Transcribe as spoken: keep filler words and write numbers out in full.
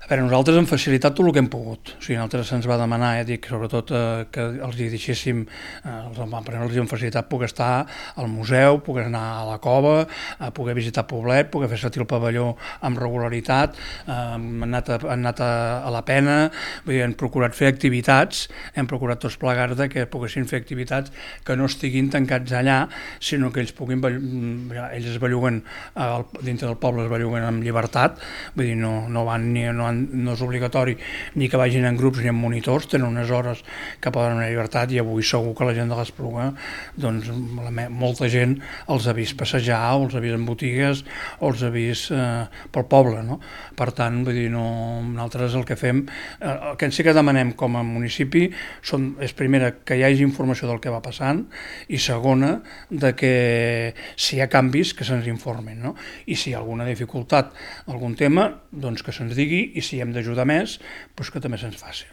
A veure, nosaltres hem facilitat tot el que hem pogut. O sigui, nosaltres se'ns va demanar, eh, dic, sobretot eh, que els hi deixéssim, eh, els, els hem facilitat poder estar al museu, poder anar a la cova, a poder visitar Poblet, poder fer servir el pavelló amb regularitat, eh, hem anat, a, hem anat a, a la Pena, vull dir, hem procurat fer activitats, hem procurat tots plegats de que poguessin fer activitats que no estiguin tancats allà, sinó que ells puguin, ells es belluguen, eh, dintre del poble es belluguen amb llibertat, vull dir, no, no van ni no han no és obligatori ni que vagin en grups ni en monitors, tenen unes hores que poden anar a llibertat i avui segur que la gent de l'Espluga, doncs la, molta gent els ha vist passejar o els ha vist en botigues o els ha vist eh, pel poble, no? Per tant, vull dir, no, nosaltres el que fem, eh, el que sí que demanem com a municipi són, és primera que hi hagi informació del que va passant i segona de que si hi ha canvis que se'ns informin, no? I si hi ha alguna dificultat, algun tema, doncs que se'ns digui i si hem d'ajudar més, doncs que també se'ns faci.